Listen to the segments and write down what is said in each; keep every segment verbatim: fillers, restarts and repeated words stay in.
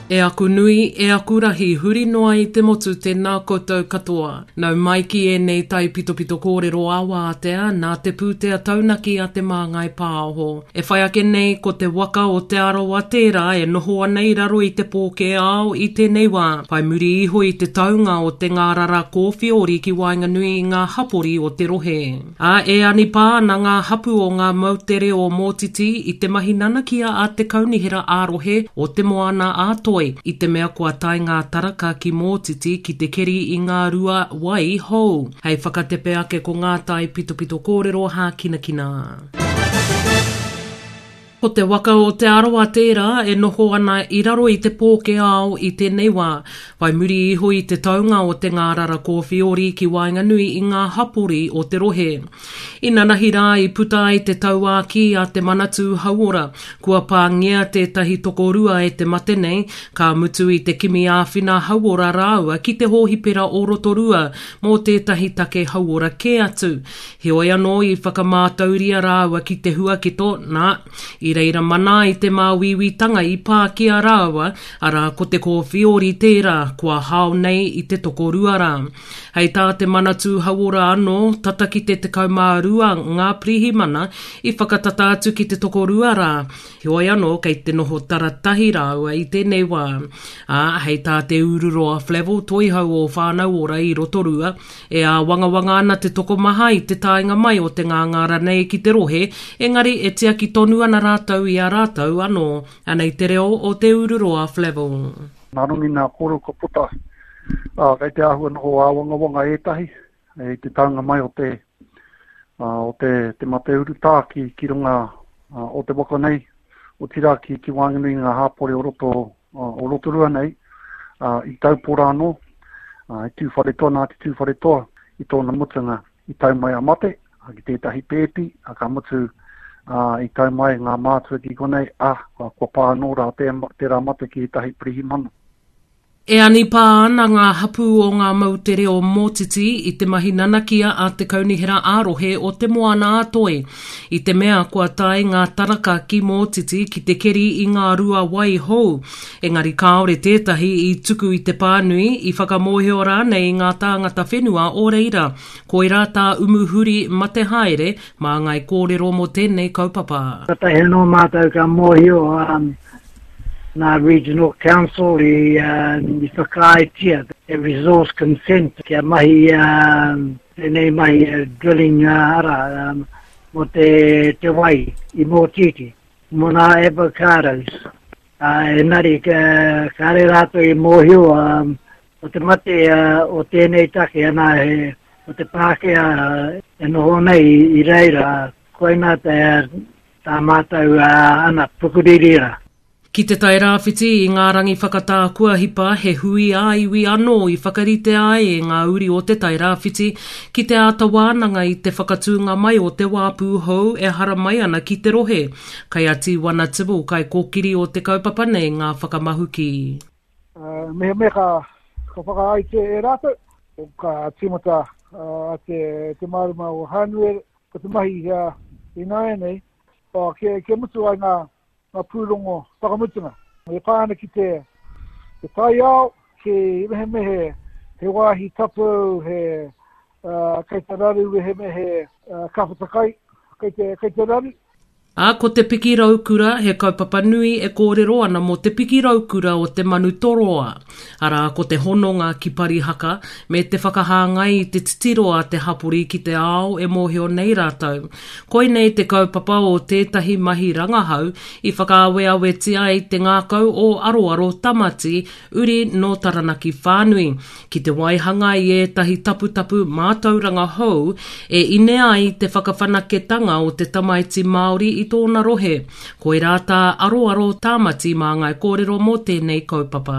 E aku nui, e aku rahi, huri noa i te motu tēnā koutou katoa. Nau mai ki ēnei taipitopito kōrero a wātea nā te pūtea taunaki a Te Māngai Pāho. E whai ake nei ko te waka o Te Arawa tērā e noho ana i raro i te pōkē ao i tēnei wā. Whai muri iho i te taunga o te ngārara kōwhiori ki waenganui i ngā hapori o te rohe. Ā, e anipā ana ngā hapu o ngā moutere o Mōtiti i te mahi nanakia a te kaunihera ā-rohe o Te Moana a Toi i te mea kua tae ngā taraka ki Mōtiti ki te keri i ngā rua wai hou. Hei whakatepe ake ko ngā taipitopito kōrero hākinakina. Ko te waka o Te Arawa tērā e noho ana i raro i te pōkē ao i tēnei wā. Whai muri iho i te taunga o te ngārara kōwhiori ki waenganui i ngā hapori o te rohe. Inanahi rā i puta ai te tauākī a te Manatū Hauora, kua pāngia tētahi tokorua e te mate nei, ka mutu i te kimi āwhina hauora rāua ki te hōhipera o Rotorua mō tētahi take hauora kē atu. Heoi anō i whakamātauria rāua ki te huaketo, nā, i reira mana ai te māuiuitanga i pā ki a rāua, arā ko te kōwhiori tērā, kua hao nei i te tokorua rā. Hei tā te Manatū Hauora anō, tata ki te tekau mā rua ngā pirihimana i whakatata atu ki te tokorua rā, heoi anō kei te noho taratahi rāua i tēnei wā. Ā, hei tā Te Ururoa Flavell Toihau o Whānau Ora i Rotorua, e āwangawanga ana te tokomaha i te taenga mai o te ngāngāra nei ki te rohe, engari e tiaki tonu ana rātou i a rātou anō. Anei te reo o Te Ururoa Flavell. Nā runga i ngā kōrero kua puta, ā, kei te āhua noho āwangawanga ētahi i te taunga mai o te, ā, o te, te mate urutā ki, ki runga ā, o te waka nei, otirā ki, ki waenganui i ngā hāpori o roto, ā, o Rotorua nei, ā, i Taupō rā anō, ā, i Tūwharetoa, nā te Tūwharetoa i tōna mutunga i tau mai a mate, ā, ki tētahi pēpi, ā, ka mutu, ā, i tau mai ngā mātua ki konei, ā, kua, kua pā anō rā tē, tērā mate ki ētahi pirihimana. E anipā ana ngā hapū o ngā moutere o Mōtiti i te mahi nanakia a te Kaunihera ā-rohe o Te Moana-a-Toi, i te mea kua tae ngā taraka ki Mōtiti ki te keri i ngā rua wai hou, engari kāore tētahi i tuku i te pānui, i whakamōhio rānei i ngā tāngata whenua o reira. Koirā tā Umuhuri mate haere mā ngāi kōrero mō tēnei kaupapa. Katahi anō mātou ka mōhio nā Regional Council i, uh, i whakaaetia te resource consent kia mahi uh, tēnei mahi uh, drilling uh, ara um, mō te, te wai i Mōtītī, mō ngā avocados. Uh, engari, ka, kāre rātou i mōhio um, o te mate uh, o tēnei take, ana he, o te Pākehā uh, e noho nei i, i reira, koina te, tā mātou uh, ana pukuriri rā. Ki te Tairāwhiti i ngā rangi whakatā kua hipa, he hui ā-iwi anō i whakaritea ai e ngā uri o te Tairāwhiti ki te āta wānanga i te whakatūnga mai o te wāpū hou e haramai ana ki te rohe. Kai a Tīwana Tibble, kaikōkiri o te kaupapa nei ngā whakamahuki. Uh, mehemea ka, ka whakaaetia e rātou, ka tīmata uh, te, te marama o Hānuere, ko te mahi uh, ināianei, uh, kia, kia mutu ai ngā, ngā pūrongo whakamutunga. E pā ana ki te, te taiao, ki mehemehe he wāhi tapu, he uh, kei te raru, mehemehe uh, ka whatakai, kei te, kei te raru. Ā, ko te piki raukura he kaupapa nui e kōrero ana mō te piki raukura o te manu toroa. Arā, ko te hononga ki Parihaka me te whakahāngai i te titiro a te hapori ki te ao e mōhio nei rātou. Koinei te kaupapa o tētahi mahi rangahau i whakaaweawetia ai te ngākau o Aroaro Tamati, uri nō Taranaki whānui, ki te waihanga i ētahi taputapu mātauranga hou e ine ai te whakawhanaketanga o te tamaiti Māori i tōna rohe. Koirā tā Aroaro Tamati māngai kōrero mō tēnei kaupapa.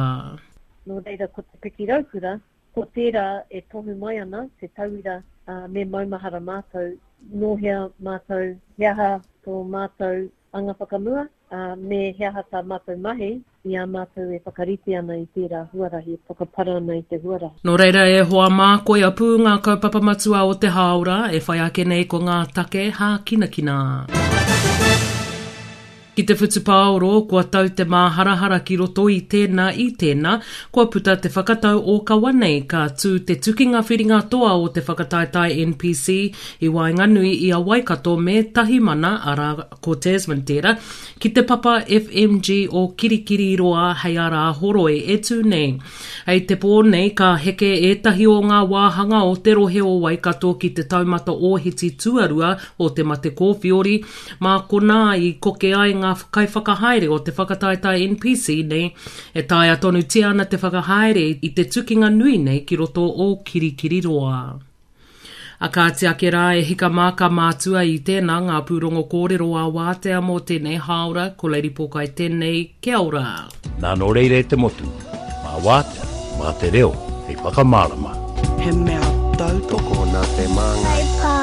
Nō reira ko te piki raukura, ko tērā e tohu mai ana te tauira uh, me maumahara mātou, nō hea mātou, he aha tō mātou anga whakamua, uh, me he aha tā mātou mahi i a mātou e whakarite ana i tērā huarahi, e whakapara ana i te huarahi. Nō reira e hoa mā, koia pū ngā kaupapa matua o te hāora, e whai ake nei ko ngā take hākinakina. Ki te whutupaoro, kua tau te māharahara ki roto i tēnā i tēnā, kua puta te whakatau ōkawa nei ka tū te tukinga whiringa toa o te whakataetae N P C i waenganui i a Waikato me Tahimana, arā ko Tasman tērā, ki te papa F M G o Kirikiriroa hei a Rāhoroi e tū nei. Hei te pō nei ka heke ētahi o ngā wāhanga o te rohe o Waikato ki te taumata ōhiti tuarua o te mate kōwhiori, mā konā i koke ai ngā kaiwhakahaere o te whakataetae N P C nei e taea tonutia ana te whakahaere i te tukinga nui nei ki roto o Kirikiriroa. A kāti ake rā e hika mā ka mātua i tēnā ngā pūrongo kōrero ā wātea mō tēnei hāora, ko Lady Pōkai tēnei, kia ora. Nā nō reira e te motu, mā wātea, mā te reo, hei whakamārama. He mea tautoko nā te Māngai.